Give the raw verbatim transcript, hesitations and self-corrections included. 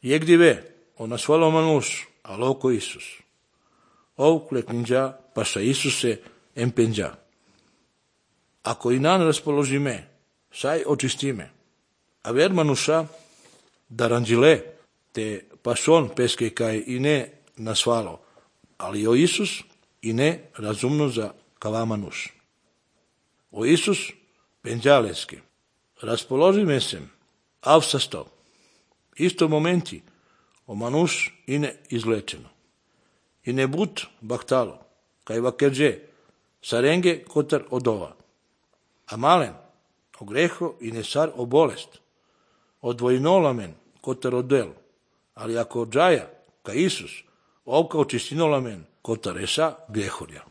Jegdive, ona svalo manus, aloko Isus. Ovkle kninja, pasa Isuse empenja. Ako i nan raspoložime, saj očistime. A ver manusa, da ranđile, te pason peske kaj i ne nasvalo, ali o Isus i ne razumno za kavamanus. O Isus penđaleski, raspoložime sem, avsasto, isto momenti, o manus i ne izlečeno. I ne but baktalo, kaj vakerđe, sarenge kotar odova. A malen, o greho i ne sar o bolest, odvojnolamen kotar odel, ali ako džaja, ka Isus, ovka očistinolamen kotar esa grehorja.